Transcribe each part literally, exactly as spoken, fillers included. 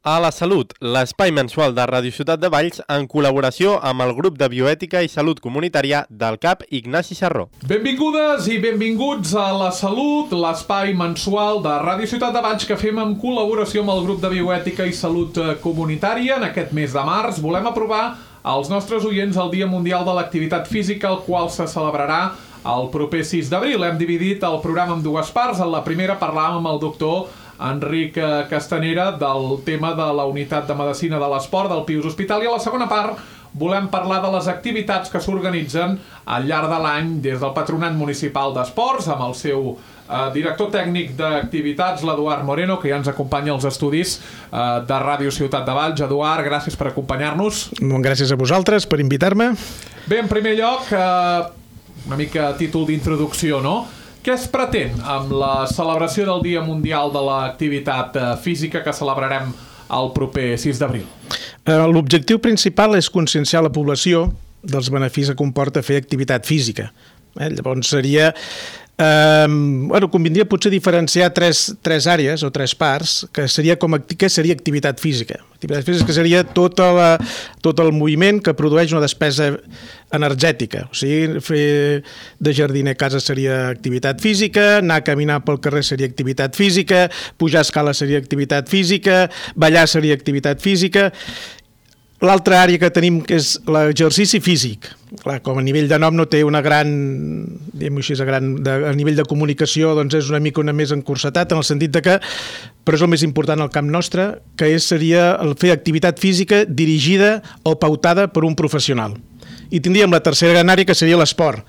A la Salut, l'espai mensual de Ràdio Ciutat de Valls en col·laboració amb el grup de bioètica i salut comunitària del C A P Ignasi Sarró. Benvingudes i benvinguts a La Salut, l'espai mensual de Ràdio Ciutat de Valls que fem en col·laboració amb el grup de bioètica i salut comunitària. En aquest mes de març volem aprovar als nostres oients el Dia Mundial de l'Activitat Física, el qual se celebrarà el proper sis d'abril. Hem dividit el programa en dues parts. En la primera parlàvem amb el doctor Enric Castanera del tema de la unitat de medicina de l'esport del Pius Hospital, i a la segona part volem parlar de les activitats que s'organitzen al llarg de l'any des del Patronat Municipal d'Esports amb el seu eh, director tècnic d'activitats, l'Eduard Moreno, que ja ens acompanya als estudis eh, de Ràdio Ciutat de Valls. Eduard, gràcies per acompanyar-nos. Gràcies a vosaltres per invitar-me. Bé, en primer lloc, eh, una mica a títol d'introducció, no? Què es pretén amb la celebració del Dia Mundial de l'Activitat Física que celebrarem el proper sis d'abril? L'objectiu principal és conscienciar la població dels beneficis que comporta fer activitat física. Eh? Llavors seria... Eh, bueno, convindria potser diferenciar tres, tres àrees o tres parts, que seria com què seria activitat física. Activitat física seria tota la, tot el moviment que produeix una despesa energètica. O sigui, fer de jardiner a casa seria activitat física, anar a caminar pel carrer seria activitat física, pujar escales seria activitat física, ballar seria activitat física. L'altra àrea que tenim que és l'exercici físic. Clar, com a nivell de nom no té una gran, diguem-ho així, a, gran, de, a nivell de comunicació doncs és una mica una més encursetat en el sentit de que, però és el més important al camp nostre, que és, seria el fer activitat física dirigida o pautada per un professional. I tindríem la tercera gran àrea, que seria l'esport,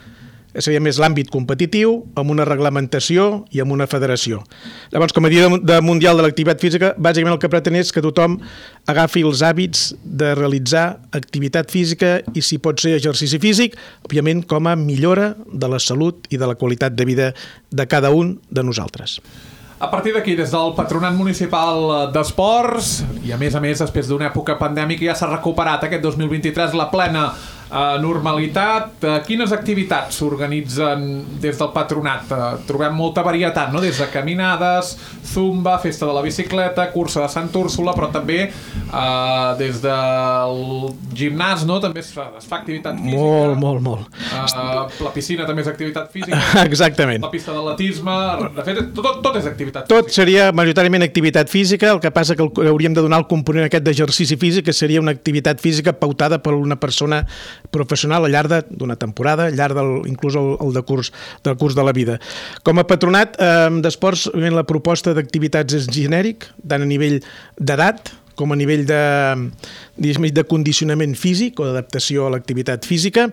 que seria més l'àmbit competitiu, amb una reglamentació i amb una federació. Llavors, com a Dia de Mundial de l'Activitat Física, bàsicament el que pretén és que tothom agafi els hàbits de realitzar activitat física i, si pot ser, exercici físic, òbviament com a millora de la salut i de la qualitat de vida de cada un de nosaltres. A partir d'aquí, des del Patronat Municipal d'Esports, i a més a més després d'una època pandèmica ja s'ha recuperat aquest dos mil vint-i-tres la plena Uh, normalitat, uh, quines activitats s'organitzen des del patronat? Uh, trobem molta varietat, no? Des de caminades, zumba, festa de la bicicleta, cursa de Sant Úrsula, però també uh, des del gimnàs, no? També es fa, es fa activitat física. Molt, molt, molt. Uh, la piscina també és activitat física. Exactament. La pista d'atletisme, de fet, tot, tot és activitat tot física. Seria majoritàriament activitat física, el que passa que hauríem de donar el component aquest d'exercici físic, que seria una activitat física pautada per una persona professional al llarg d'una temporada, al llarg del, inclús el, el de curs, del curs de la vida. Com a patronat eh, d'esports, la proposta d'activitats és genèric, tant a nivell d'edat com a nivell de, de condicionament físic o d'adaptació a l'activitat física,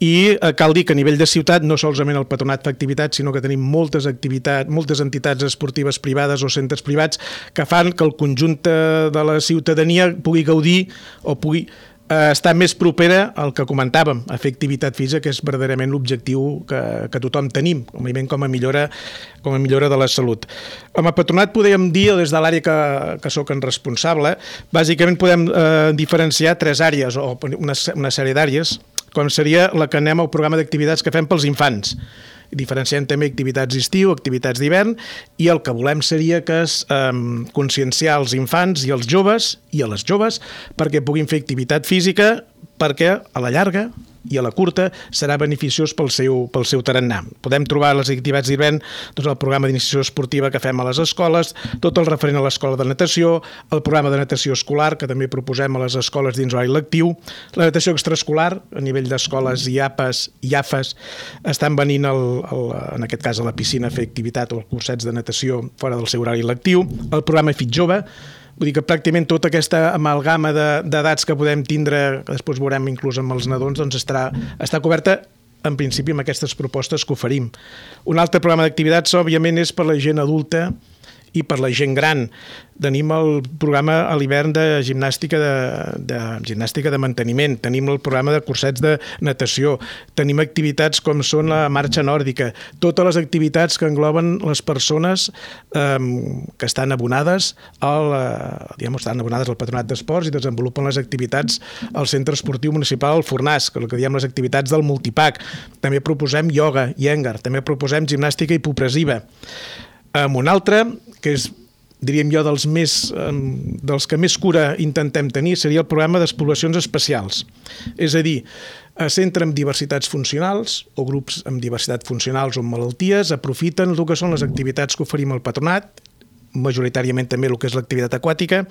i eh, cal dir que a nivell de ciutat no solament el patronat fa activitats, sinó que tenim moltes activitats, moltes entitats esportives privades o centres privats que fan que el conjunt de la ciutadania pugui gaudir o pugui està més propera al que comentàvem, a fer activitat física, que és verdaderament l'objectiu que, que tothom tenim, com a millora, com a millora de la salut. Com a patronat podem dir, des de l'àrea que, que soc en responsable, bàsicament podem eh, diferenciar tres àrees, o una, una sèrie d'àrees, com seria la que anem al programa d'activitats que fem pels infants. Diferenciem també activitats d'estiu, activitats d'hivern, i el que volem seria que es eh, conscienciar els infants i els joves i a les joves perquè puguin fer activitat física, perquè a la llarga i a la curta serà beneficiós pel seu, pel seu tarannà. Podem trobar les activitats d'hivern doncs, el programa d'iniciació esportiva que fem a les escoles, tot el referent a l'escola de natació, el programa de natació escolar que també proposem a les escoles dins l'horari lectiu, la natació extraescolar a nivell d'escoles i A P A S i A F A S estan venint el, el, en aquest cas a la piscina a fer activitat o cursets de natació fora del seu horari lectiu, el programa Fit Jove. Vull dir que pràcticament tota aquesta amalgama d'edats que podem tindre, que després veurem inclús amb els nadons, doncs estarà, està coberta en principi amb aquestes propostes que oferim. Un altre programa d'activitats, òbviament, és per la gent adulta i per la gent gran. Tenim el programa a l'hivern de gimnàstica de, de gimnàstica de manteniment, tenim el programa de cursets de natació, tenim activitats com són la marxa nòrdica, totes les activitats que engloben les persones eh, que estan abonades al, eh, diguem, estan abonades al Patronat d'Esports i desenvolupen les activitats al Centre Esportiu Municipal del Fornàs, que el que diem les activitats del Multipac. També proposem ioga i èngar, també proposem gimnàstica hipopressiva. Amb un altre, que és diríem jo, dels, més, dels que més cura intentem tenir, seria el programa d'exploracions especials. És a dir, es centra en diversitats funcionals o grups amb diversitat funcionals o amb malalties, aprofiten el que són les activitats que oferim al patronat, majoritàriament també el que és l'activitat aquàtica,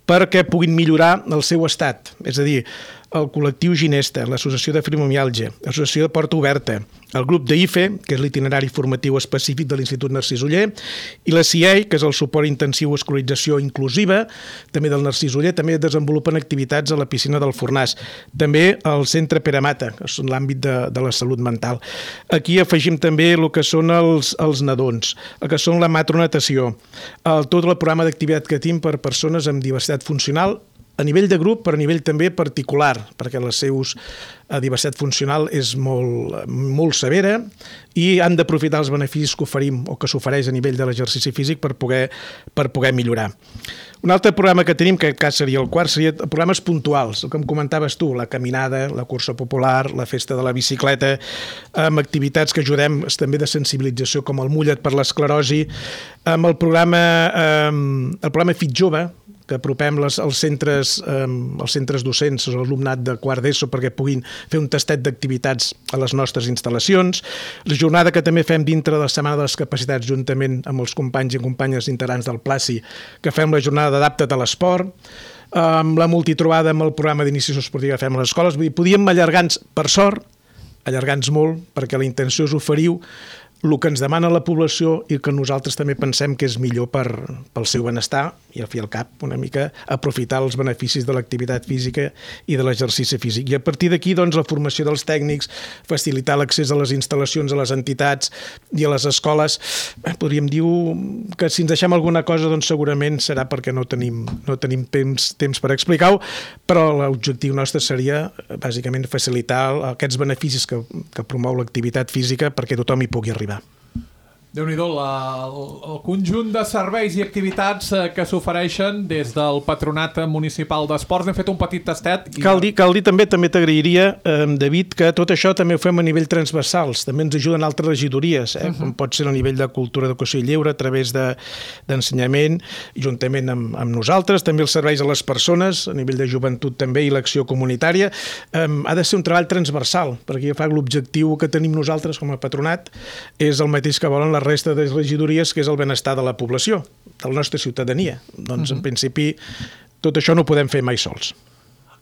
perquè puguin millorar el seu estat. És a dir, el col·lectiu Ginesta, l'Associació de Fibromiàlgia, l'Associació de Porta Oberta, el grup d'I F E, que és l'itinerari formatiu específic de l'Institut Narcís Oller, i la C I E I, que és el suport intensiu a escolarització inclusiva, també del Narcís Oller, també desenvolupen activitats a la piscina del Fornàs. També el Centre Pere Mata, que és l'àmbit de, de la salut mental. Aquí afegim també el que són els, els nadons, el que són la matronatació, el, tot el programa d'activitat que tenim per persones amb diversitat funcional, a nivell de grup, però a nivell també particular, perquè la seva diversitat funcional és molt, molt severa i han d'aprofitar els beneficis que oferim o que s'ofereix a nivell de l'exercici físic per poder, per poder millorar. Un altre programa que tenim, que cas seria el quart, seria programes puntuals, el que em comentaves tu, la caminada, la cursa popular, la festa de la bicicleta, amb activitats que ajudem també de sensibilització, com el Mulla't per l'esclerosi, amb el programa, eh, el programa Fit Jove, que apropem les, els, centres, eh, els centres docents, l'alumnat de quart d'ESO, perquè puguin fer un tastet d'activitats a les nostres instal·lacions. La jornada que també fem dintre de la Setmana de les Capacitats, juntament amb els companys i companyes integrants del Placi, que fem la jornada d'Adapta't a l'esport, amb la multitrobada amb el programa d'iniciació esportiva que fem a les escoles. Vull dir, podíem allargar-nos, per sort, allargar-nos molt, perquè la intenció és oferir el que ens demana la població i que nosaltres també pensem que és millor per, pel seu benestar i al fi al cap una mica aprofitar els beneficis de l'activitat física i de l'exercici físic. I a partir d'aquí, doncs, la formació dels tècnics, facilitar l'accés a les instal·lacions, a les entitats i a les escoles. Podríem dir que si ens deixem alguna cosa, doncs segurament serà perquè no tenim, no tenim temps, temps per explicar-ho, però l'objectiu nostre seria bàsicament facilitar aquests beneficis que, que promou l'activitat física perquè tothom hi pugui arribar. Déu-n'hi-do, la, el, el conjunt de serveis i activitats eh, que s'ofereixen des del Patronat Municipal d'Esports. Hem fet un petit tastet. I... Cal dir, cal dir també, també t'agrairia, eh, David, que tot això també ho fem a nivell transversals. També ens ajuden altres regidories, eh, uh -huh. com pot ser a nivell de cultura, educació i lleure, a través de, d'ensenyament, juntament amb, amb nosaltres. També els serveis a les persones, a nivell de joventut també, i l'acció comunitària. Eh, ha de ser un treball transversal, perquè jo fa l'objectiu que tenim nosaltres com a patronat és el mateix que volen les resta de regidories, que és el benestar de la població, de la nostra ciutadania. Doncs, uh-huh. en principi, tot això no ho podem fer mai sols.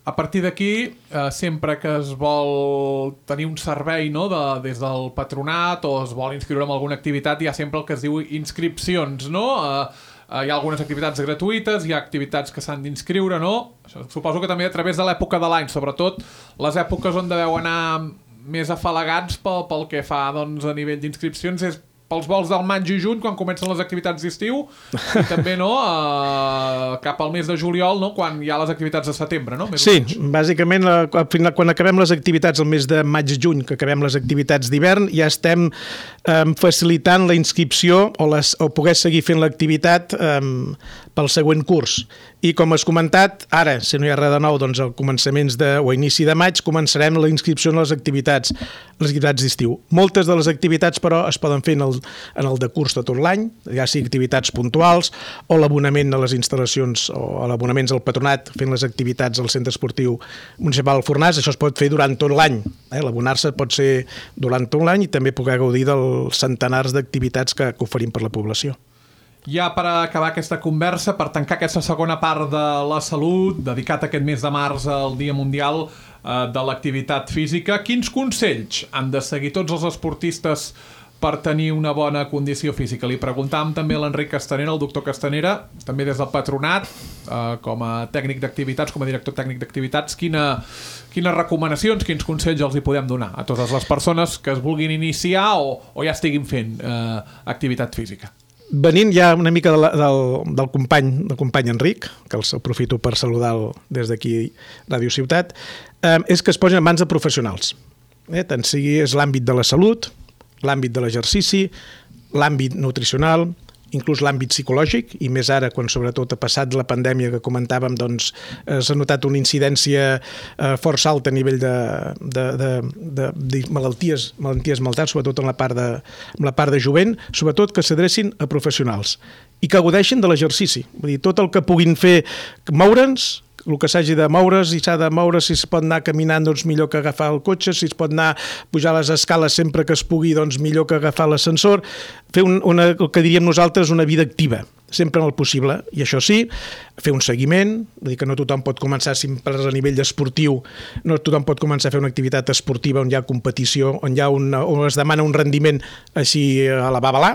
A partir d'aquí, eh, sempre que es vol tenir un servei, no, de, des del patronat o es vol inscriure en alguna activitat, hi ha sempre el que es diu inscripcions, no? Eh, eh, hi ha algunes activitats gratuïtes, hi ha activitats que s'han d'inscriure, no? Això, suposo que també a través de l'època de l'any, sobretot les èpoques on deveu anar més afalagats pel, pel que fa, doncs, a nivell d'inscripcions, és pels vols del maig i juny, quan comencen les activitats d'estiu, i també, no, eh, cap al mes de juliol, no, quan hi ha les activitats de setembre, no? Més sí, bàsicament, eh, quan acabem les activitats el mes de maig i juny, que acabem les activitats d'hivern, ja estem eh, facilitant la inscripció o, les, o poder seguir fent l'activitat eh, pel següent curs. I com has comentat, ara, si no hi ha res de nou, doncs a començaments de, o a inici de maig començarem la inscripció en les activitats, les activitats d'estiu. Moltes de les activitats, però, es poden fer en el, en el de curs de tot l'any, ja sigui activitats puntuals o l'abonament a les instal·lacions o a l'abonaments al patronat fent les activitats al Centre Esportiu Municipal del Fornàs. Això es pot fer durant tot l'any. Eh? L'abonar-se pot ser durant tot l'any i també poder gaudir dels centenars d'activitats que, que oferim per la població. Ja per acabar aquesta conversa, per tancar aquesta segona part de la salut, dedicat aquest mes de març al Dia Mundial eh, de l'Activitat Física, quins consells han de seguir tots els esportistes per tenir una bona condició física? Li preguntàvem també a l'Enric Castanera, el doctor Castanera, també des del patronat, eh, com a tècnic d'activitats, com a director tècnic d'activitats, quina, quines recomanacions, quins consells els hi podem donar a totes les persones que es vulguin iniciar o, o ja estiguin fent eh, activitat física? Venint ja una mica de la, del, del company del company Enric, que els aprofito per saludar des d'aquí Ràdio Ciutat, eh, és que es posin en mans de professionals. Eh, tant sigui és l'àmbit de la salut, l'àmbit de l'exercici, l'àmbit nutricional, inclús l'àmbit psicològic, i més ara, quan sobretot ha passat la pandèmia que comentàvem, doncs eh, s'ha notat una incidència eh, força alta a nivell de, de, de, de, de malalties, malalties mentals, sobretot en la part de, en la part de jovent, sobretot que s'adrecin a professionals i que gaudeixin de l'exercici. Vull dir, tot el que puguin fer, moure'ns, el que s'hagi de moure's, i s'ha de moure, si es pot anar caminant, doncs millor que agafar el cotxe, si es pot anar pujar les escales sempre que es pugui, doncs millor que agafar l'ascensor, fer un, una, el que diríem nosaltres una vida activa, sempre en el possible, i això sí, fer un seguiment, vull dir que no tothom pot començar sempre a nivell esportiu, no tothom pot començar a fer una activitat esportiva on hi ha competició, on, hi ha una, on es demana un rendiment així a la babalà,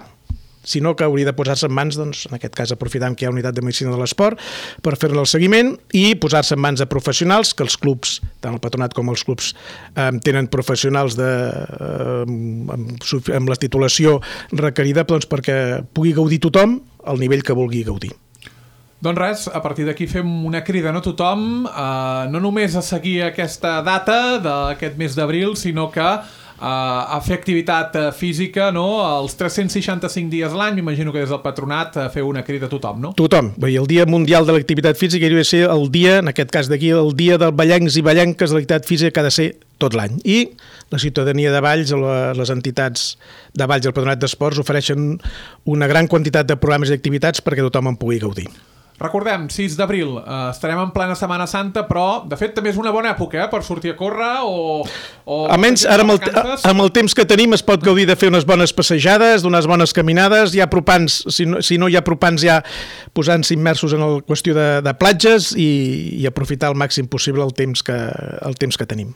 sinó que hauria de posar-se en mans, doncs, en aquest cas aprofitant que hi ha unitat de medicina de l'esport, per fer-ne el seguiment i posar-se en mans de professionals, que els clubs, tant el patronat com els clubs, eh, tenen professionals de, eh, amb, amb la titulació requerida, doncs, perquè pugui gaudir tothom al nivell que vulgui gaudir. Doncs res, a partir d'aquí fem una crida a tothom, eh, no només a seguir aquesta data d'aquest mes d'abril, sinó que Uh, a fer activitat uh, física, no? Els tres-cents seixanta-cinc dies l'any, m'imagino que des del patronat uh, feu una crida a tothom, no? Tothom. Vull dir, el Dia Mundial de l'Activitat Física hauria de ser el dia, en aquest cas d'aquí, el dia dels ballencs i ballenques de l'activitat física, que ha de ser tot l'any. I la ciutadania de Valls, les entitats de Valls i el patronat d'esports ofereixen una gran quantitat de programes i activitats perquè tothom en pugui gaudir. Recordem, sis d'abril, eh, estarem en plena Setmana Santa, però, de fet, també és una bona època, eh, per sortir a córrer o... o Almenys, ara amb el, amb el temps que tenim es pot gaudir de fer unes bones passejades, d'unes bones caminades, ja apropants, si no, si no hi ha apropants ja posant-se immersos en la qüestió de, de platges i, i aprofitar al màxim possible el temps que, el temps que tenim.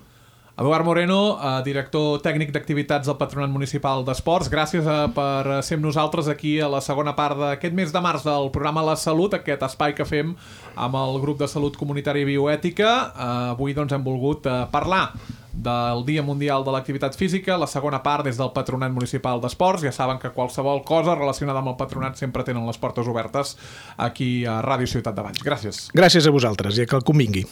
Eduard Moreno, eh, director tècnic d'activitats del Patronat Municipal d'Esports, gràcies eh, per ser amb nosaltres aquí a la segona part d'aquest mes de març del programa La Salut, aquest espai que fem amb el grup de salut comunitària i bioètica. Eh, avui doncs, hem volgut eh, parlar del Dia Mundial de l'Activitat Física, la segona part des del Patronat Municipal d'Esports. Ja saben que qualsevol cosa relacionada amb el patronat sempre tenen les portes obertes aquí a Ràdio Ciutat de Valls. Gràcies. Gràcies a vosaltres i que el convingui.